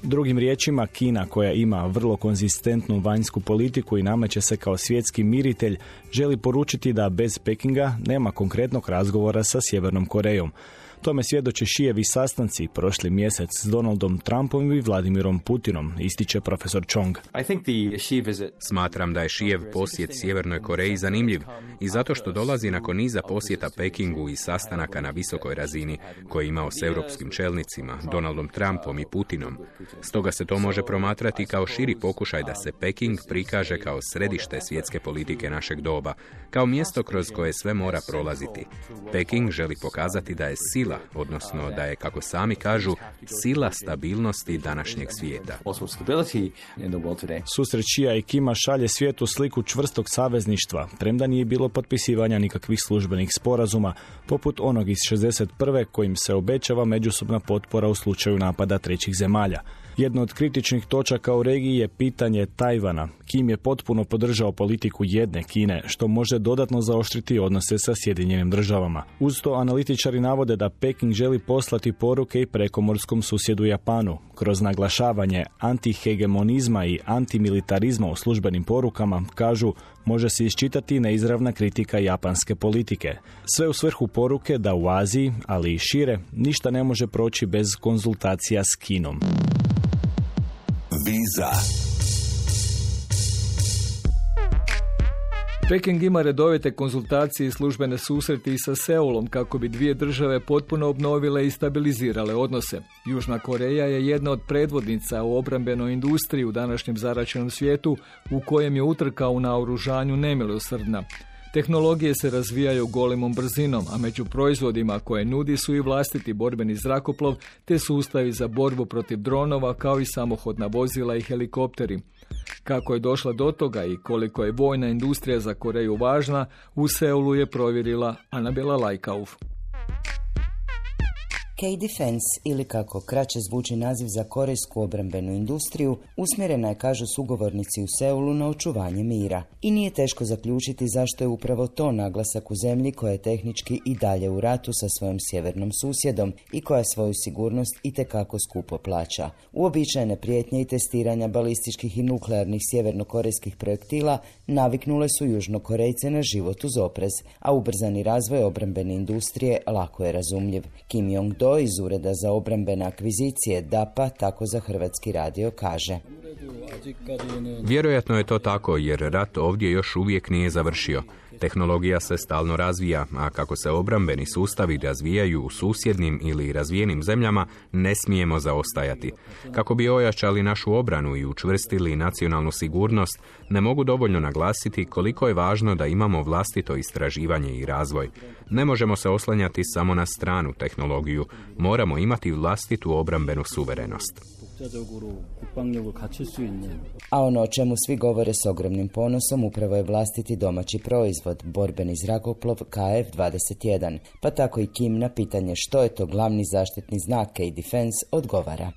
Drugim riječima, Kina, koja ima vrlo konzistentnu vanjsku politiku i nameće se kao svjetski miritelj, želi poručiti da bez Pekinga nema konkretnog razgovora sa Sjevernom Korejom. Tome svjedoče Xijevi sastanci prošli mjesec s Donaldom Trumpom i Vladimirom Putinom, ističe profesor Chong. Smatram da je Xijev posjet Sjevernoj Koreji zanimljiv i zato što dolazi nakon niza posjeta Pekingu i sastanaka na visokoj razini koje je imao s europskim čelnicima, Donaldom Trumpom i Putinom. Stoga se to može promatrati kao širi pokušaj da se Peking prikaže kao središte svjetske politike našeg doba, kao mjesto kroz koje sve mora prolaziti. Peking želi pokazati da je sila, odnosno da je, kako sami kažu, sila stabilnosti današnjeg svijeta. Susret Xija i Kima šalje svijetu sliku čvrstog savezništva, premda nije bilo potpisivanja nikakvih službenih sporazuma, poput onog iz šezdeset prve kojim se obećava međusobna potpora u slučaju napada trećih zemalja. Jedno od kritičnih točaka u regiji je pitanje Tajvana. Kim je potpuno podržao politiku jedne Kine, što može dodatno zaoštriti odnose sa Sjedinjenim državama. Uz to analitičari navode da Peking želi poslati poruke i prekomorskom susjedu Japanu. Kroz naglašavanje antihegemonizma i antimilitarizma u službenim porukama, kažu, može se iščitati neizravna kritika japanske politike. Sve u svrhu poruke da u Aziji, ali i šire, ništa ne može proći bez konzultacija s Kinom. Viza. Peking ima redovite konzultacije i službene susreti i sa Seulom kako bi dvije države potpuno obnovile i stabilizirale odnose. Južna Koreja je jedna od predvodnica u obrambenoj industriji u današnjem zaraćenom svijetu u kojem je utrka u naoružanju nemilosrdna. Tehnologije se razvijaju golemom brzinom, a među proizvodima koje nudi su i vlastiti borbeni zrakoplov te sustavi za borbu protiv dronova kao i samohodna vozila i helikopteri. Kako je došla do toga i koliko je vojna industrija za Koreju važna, u Seulu je provjerila Anabela Lajkauf. K-Defense, ili kako kraće zvuči naziv za korejsku obrambenu industriju, usmjerena je, kažu sugovornici u Seulu, na očuvanje mira. I nije teško zaključiti zašto je upravo to naglasak u zemlji koja je tehnički i dalje u ratu sa svojim sjevernom susjedom i koja svoju sigurnost itekako skupo plaća. Uobičajene prijetnje i testiranja balističkih i nuklearnih sjevernokorejskih projektila naviknule su Južnokorejce na život uz oprez, a ubrzani razvoj obrambene industrije lako je razumljiv. Kim Jong-do iz Ureda za obrambene akvizicije D A P A tako za Hrvatski radio kaže. Vjerojatno je to tako jer rat ovdje još uvijek nije završio. Tehnologija se stalno razvija, a kako se obrambeni sustavi razvijaju u susjednim ili razvijenim zemljama, ne smijemo zaostajati. Kako bi ojačali našu obranu i učvrstili nacionalnu sigurnost, ne mogu dovoljno naglasiti koliko je važno da imamo vlastito istraživanje i razvoj. Ne možemo se oslanjati samo na stranu tehnologiju, moramo imati vlastitu obrambenu suverenost. A ono o čemu svi govore s ogromnim ponosom upravo je vlastiti domaći proizvod, borbeni zrakoplov K F dvadeset jedan. Pa tako i Kim na pitanje što je to glavni zaštitni znak K-Defense odgovara.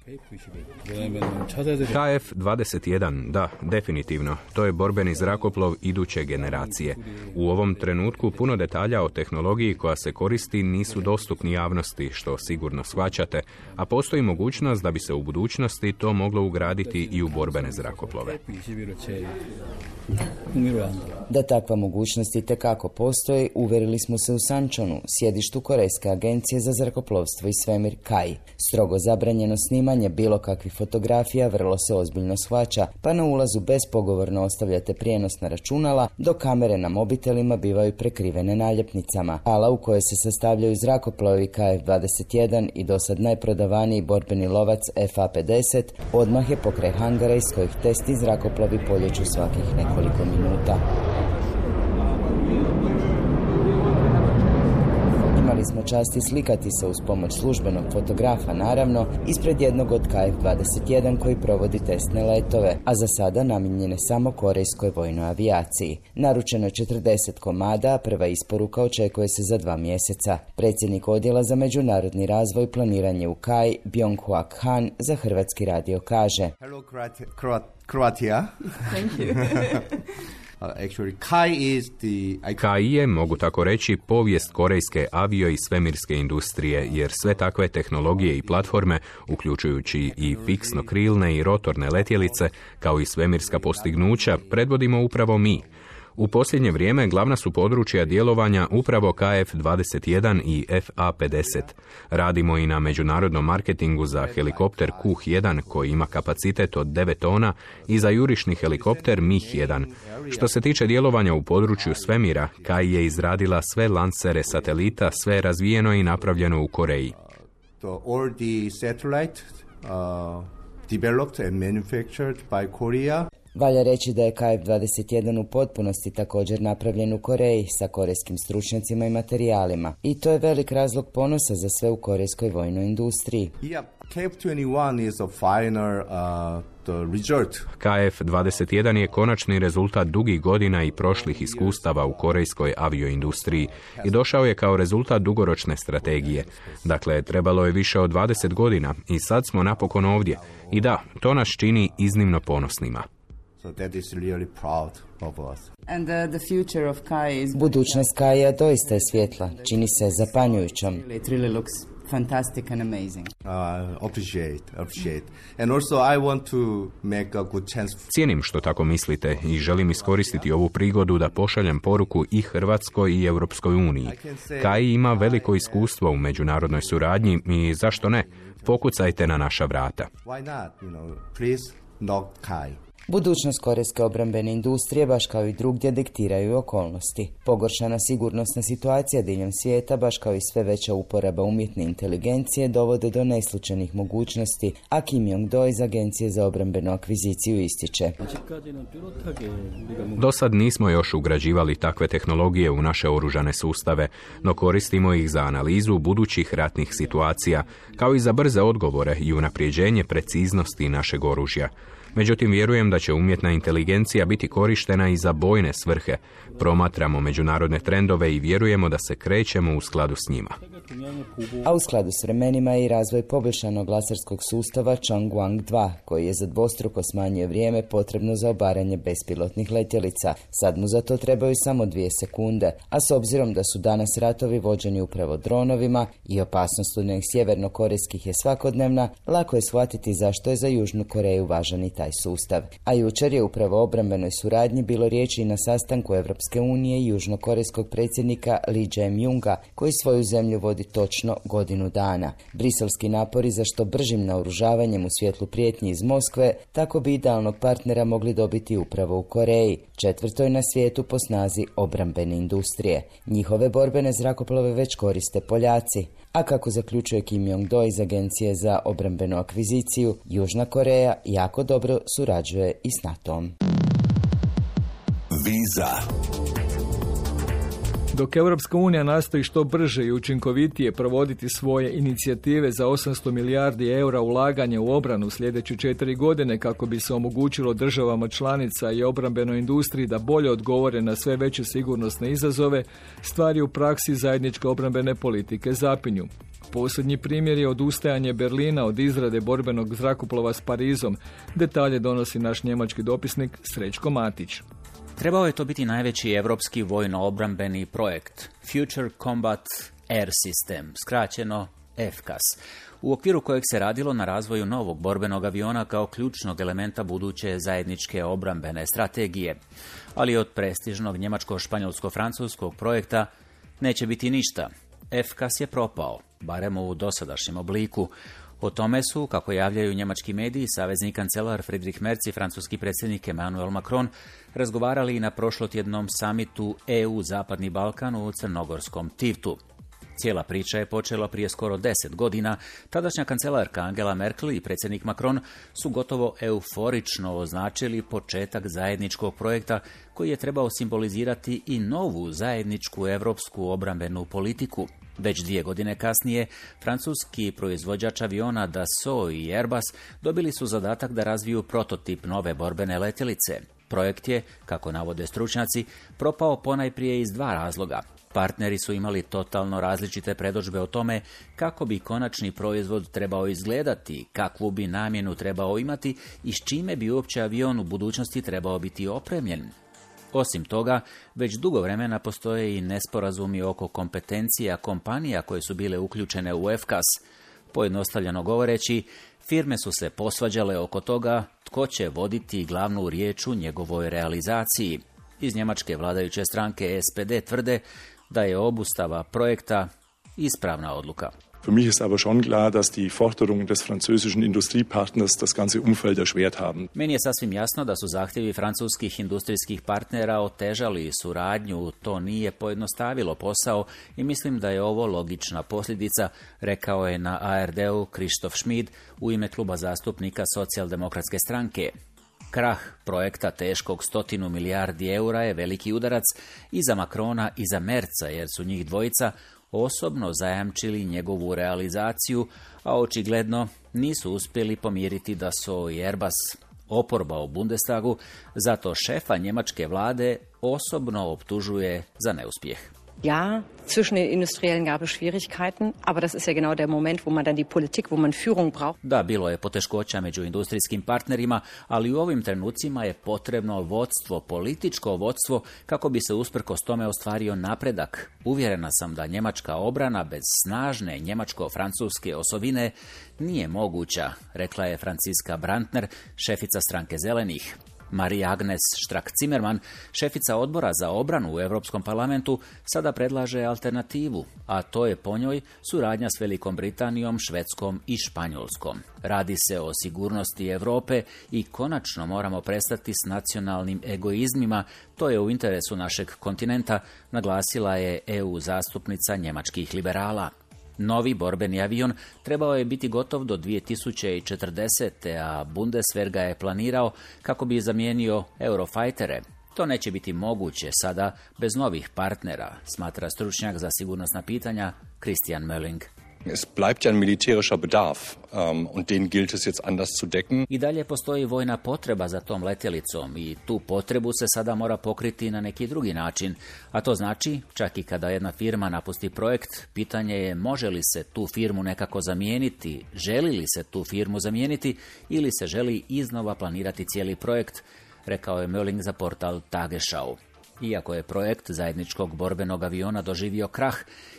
K F dvadeset jedan, da, definitivno. To je borbeni zrakoplov iduće generacije. U ovom trenutku puno detalja o tehnologiji koja se koristi nisu dostupni javnosti, što sigurno shvaćate, a postoji mogućnost da bi se u budućnosti to moglo ugraditi i u borbene zrakoplove. Da takva mogućnost itekako postoji, uvjerili smo se u Sančonu, sjedištu Korejske agencije za zrakoplovstvo i svemir K A I. Strogo zabranjeno snimanje bilo kakvih fotografija vrlo se ozbiljno shvaća, pa na ulazu bespogovorno ostavljate prijenosna računala, dok kamere na mobitelima bivaju prekrivene naljepnicama. Hala u kojoj se sastavljaju zrakoplovi K F dvadeset jedan i dosad najprodavaniji borbeni lovac F A pedeset odmah je pokraj hangara iz kojih testni zrakoplovi poljeću svakih nekoliko minuta. Imali smo časti slikati se uz pomoć službenog fotografa, naravno, ispred jednog od K F dvadeset jedan koji provodi testne letove, a za sada namijenjene samo korejskoj vojnoj avijaciji. Naručeno je četrdeset komada, a prva isporuka očekuje se za dva mjeseca. Predsjednik odjela za međunarodni razvoj i planiranje u K A I, Byung-Hwak Han, za Hrvatski radio kaže. Hello, Croatia. Thank you. K I je, mogu tako reći, povijest korejske avio i svemirske industrije, jer sve takve tehnologije i platforme, uključujući i fiksno-krilne i rotorne letjelice, kao i svemirska postignuća, predvodimo upravo mi. U posljednje vrijeme glavna su područja djelovanja upravo K F dvadeset jedan i F A pedeset. Radimo i na međunarodnom marketingu za helikopter Q jedan koji ima kapacitet od devet tona i za jurišni helikopter M I H jedan. Što se tiče djelovanja u području svemira, K I je izradila sve lansere satelita, sve je razvijeno i napravljeno u Koreji. All the satellite, uh, developed and manufactured by Korea. Valja reći da je K F dvadeset jedan u potpunosti također napravljen u Koreji sa korejskim stručnjacima i materijalima. I to je velik razlog ponosa za sve u korejskoj vojnoj industriji. Yeah, K F dvadeset jedan is a final uh, the result. K F dvadeset jedan je konačni rezultat dugih godina i prošlih iskustava u korejskoj avioindustriji i došao je kao rezultat dugoročne strategije. Dakle, trebalo je više od dvadeset godina i sad smo napokon ovdje. I da, to nas čini iznimno ponosnima. So that is really proud of us. And uh, the future of K I is... Budućnost K I-a doista je svjetla, čini se zapanjujućom. It really looks fantastic and amazing. Uh, appreciate, appreciate. And also I want to make a good chance. Cijenim što tako mislite i želim iskoristiti ovu prigodu da pošaljem poruku i Hrvatskoj i Europskoj uniji. K I ima veliko iskustvo u međunarodnoj suradnji i zašto ne? Pokucajte na naša vrata. Why not? You know, please knock K I. Budućnost korejske obrambene industrije, baš kao i drugdje, diktiraju okolnosti. Pogoršana sigurnosna situacija diljem svijeta, baš kao i sve veća uporaba umjetne inteligencije, dovode do neslučajnih mogućnosti, a Kim Jong-do iz Agencije za obrambenu akviziciju ističe. Do sad nismo još ugrađivali takve tehnologije u naše oružane sustave, no koristimo ih za analizu budućih ratnih situacija, kao i za brze odgovore i unapređenje preciznosti našeg oružja. Međutim, vjerujem da će umjetna inteligencija biti korištena i za bojne svrhe. Promatramo međunarodne trendove i vjerujemo da se krećemo u skladu s njima. A u skladu s vremenima je i razvoj poboljšanog laserskog sustava Changwang dva, koji je za dvostruko smanjio vrijeme potrebno za obaranje bespilotnih letjelica. Sad mu za to trebaju samo dvije sekunde, a s obzirom da su danas ratovi vođeni upravo dronovima i opasnost od nekih sjevernokorejskih je svakodnevna, lako je shvatiti zašto je za Južnu Koreju važan i taj sustav. A jučer je upravo o obrambenoj suradnji bilo riječi i na sastanku Evropske unije i južnokorejskog predsjednika Lee Jae-myunga, koji svoju zemlju vodi točno godinu dana. Briselski napori za što bržim naoružavanjem u svjetlu prijetnji iz Moskve, tako bi idealnog partnera mogli dobiti upravo u Koreji, četvrtoj na svijetu po snazi obrambene industrije. Njihove borbene zrakoplove već koriste Poljaci, a kako zaključuje Kim Jong-do iz Agencije za obrambenu akviziciju, Južna Koreja jako dobro surađuje i s NATO-om. Viza. Dok Europska unija nastoji što brže i učinkovitije provoditi svoje inicijative za osamsto milijardi eura ulaganja u obranu sljedeće četiri godine kako bi se omogućilo državama članica i obrambenoj industriji da bolje odgovore na sve veće sigurnosne izazove, stvari u praksi zajedničke obrambene politike zapinju. Posljednji primjer je odustajanje Berlina od izrade borbenog zrakoplova s Parizom. Detalje donosi naš njemački dopisnik Srećko Matić. Trebao je to biti najveći europski vojno-obrambeni projekt Future Combat Air System, skraćeno F C A S, u okviru kojeg se radilo na razvoju novog borbenog aviona kao ključnog elementa buduće zajedničke obrambene strategije. Ali od prestižnog njemačko-španjolsko-francuskog projekta neće biti ništa. F C A S je propao, barem u dosadašnjem obliku. O tome su, kako javljaju njemački mediji, savezni kancelar Friedrich Merz i francuski predsjednik Emmanuel Macron razgovarali i na prošlotjednom samitu E U Zapadni Balkan u crnogorskom Tivtu. Cijela priča je počela prije skoro deset godina. Tadašnja kancelarka Angela Merkel i predsjednik Macron su gotovo euforično označili početak zajedničkog projekta koji je trebao simbolizirati i novu zajedničku europsku obrambenu politiku. Već dvije godine kasnije, francuski proizvođač aviona Dassault i Airbus dobili su zadatak da razviju prototip nove borbene letjelice. Projekt je, kako navode stručnjaci, propao ponajprije iz dva razloga. Partneri su imali totalno različite predodžbe o tome kako bi konačni proizvod trebao izgledati, kakvu bi namjenu trebao imati i s čime bi uopće avion u budućnosti trebao biti opremljen. Osim toga, već dugo vremena postoje i nesporazumi oko kompetencija kompanija koje su bile uključene u F K A S. Pojednostavljeno govoreći, firme su se posvađale oko toga tko će voditi glavnu riječ u njegovoj realizaciji. Iz njemačke vladajuće stranke S P D tvrde da je obustava projekta ispravna odluka. Für mich ist aber schon klar, dass die Forderungen des französischen Industriepartners das ganze Umfeld erschwert haben. Meni je sasvim jasno da su zahtjevi francuskih industrijskih partnera otežali suradnju, to nije pojednostavilo posao i mislim da je ovo logična posljedica, rekao je na A R D-u Christoph Schmid u ime kluba zastupnika Socijaldemokratske stranke. Krah projekta teškog stotinu milijardi eura je veliki udarac i za Macrona i za Merza, jer su njih dvojica osobno zajamčili njegovu realizaciju, a očigledno nisu uspjeli pomiriti Dassault i Airbus. Oporba u Bundestagu zato šefa njemačke vlade osobno optužuje za neuspjeh. Ja, zwischen den Industriellen gab es Schwierigkeiten, aber das ist ja genau der Moment, wo man dann die Politik, wo man Führung braucht. Da, bilo je poteškoća među industrijskim partnerima, ali u ovim trenucima je potrebno vodstvo, političko vodstvo, kako bi se usprkos tome ostvario napredak. Uvjerena sam da njemačka obrana bez snažne njemačko-francuske osovine nije moguća, rekla je Franciska Brandner, šefica stranke Zelenih. Maria Agnes Strack-Zimmermann, šefica odbora za obranu u Europskom parlamentu, sada predlaže alternativu, a to je po njoj suradnja s Velikom Britanijom, Švedskom i Španjolskom. Radi se o sigurnosti Europe i konačno moramo prestati s nacionalnim egoizmima, to je u interesu našeg kontinenta, naglasila je E U zastupnica njemačkih liberala. Novi borbeni avion trebao je biti gotov do dvije tisuće četrdesete. a Bundeswehr ga je planirao kako bi zamijenio Eurofightere. To neće biti moguće sada bez novih partnera, smatra stručnjak za sigurnosna pitanja Christian Mölling. Es bleibt ja ein militärischer Bedarf um, und den gilt es jetzt anders zu decken. I dalje postoji vojna potreba za tom letjelicom i tu potrebu se sada mora pokriti na neki drugi način. A to znači, čak i kada jedna firma napusti projekt, pitanje je može li se tu firmu nekako zamijeniti, želi li se tu firmu zamijeniti ili se želi iznova planirati cijeli projekt, rekao je Mölling za portal Tagesschau. Iako je projekt zajedničkog borbenog aviona doživio krah,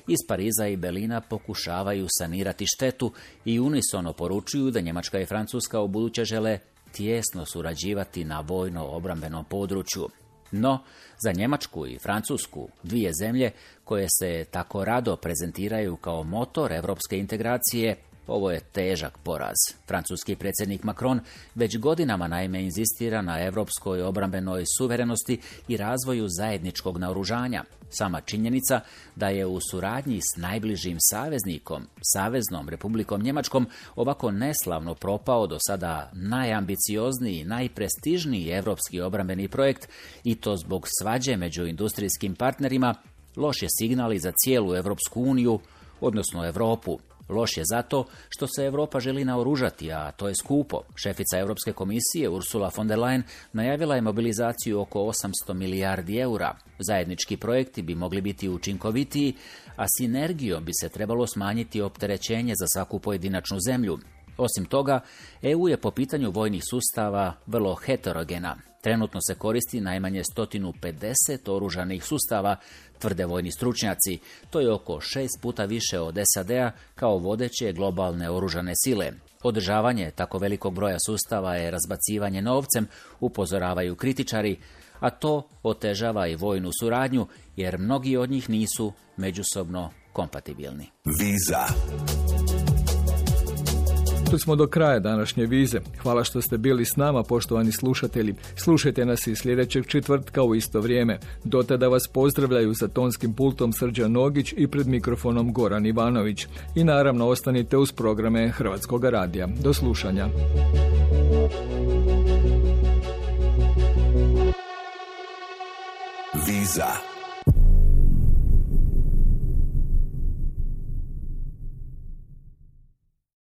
iz Pariza i Berlina pokušavaju sanirati štetu i unisono poručuju da Njemačka i Francuska ubuduće žele tijesno surađivati na vojno-obrambenom području. No, za Njemačku i Francusku, dvije zemlje koje se tako rado prezentiraju kao motor europske integracije, ovo je težak poraz. Francuski predsjednik Macron već godinama naime inzistira na europskoj obrambenoj suverenosti i razvoju zajedničkog naoružanja. Sama činjenica da je u suradnji s najbližim saveznikom, Saveznom Republikom Njemačkom, ovako neslavno propao do sada najambiciozniji, najprestižniji europski obrambeni projekt i to zbog svađe među industrijskim partnerima, loš je signal i za cijelu Europsku uniju, odnosno Europu. Loš je zato što se Europa želi naoružati, a to je skupo. Šefica Europske komisije Ursula von der Leyen najavila je mobilizaciju oko osamsto milijardi eura. Zajednički projekti bi mogli biti učinkovitiji, a sinergijom bi se trebalo smanjiti opterećenje za svaku pojedinačnu zemlju. Osim toga, E U je po pitanju vojnih sustava vrlo heterogena. Trenutno se koristi najmanje sto pedeset oružanih sustava, tvrde vojni stručnjaci. To je oko šest puta više od S A D-a kao vodeće globalne oružane sile. Održavanje tako velikog broja sustava je razbacivanje novcem, upozoravaju kritičari, a to otežava i vojnu suradnju, jer mnogi od njih nisu međusobno kompatibilni. Viza. Tu smo do kraja današnje vize. Hvala što ste bili s nama, poštovani slušatelji. Slušajte nas i sljedećeg četvrtka u isto vrijeme. Do tada vas pozdravljaju za tonskim pultom Srđan Nogić i pred mikrofonom Goran Ivanović. I naravno ostanite uz programe Hrvatskog radija. Do slušanja. Viza.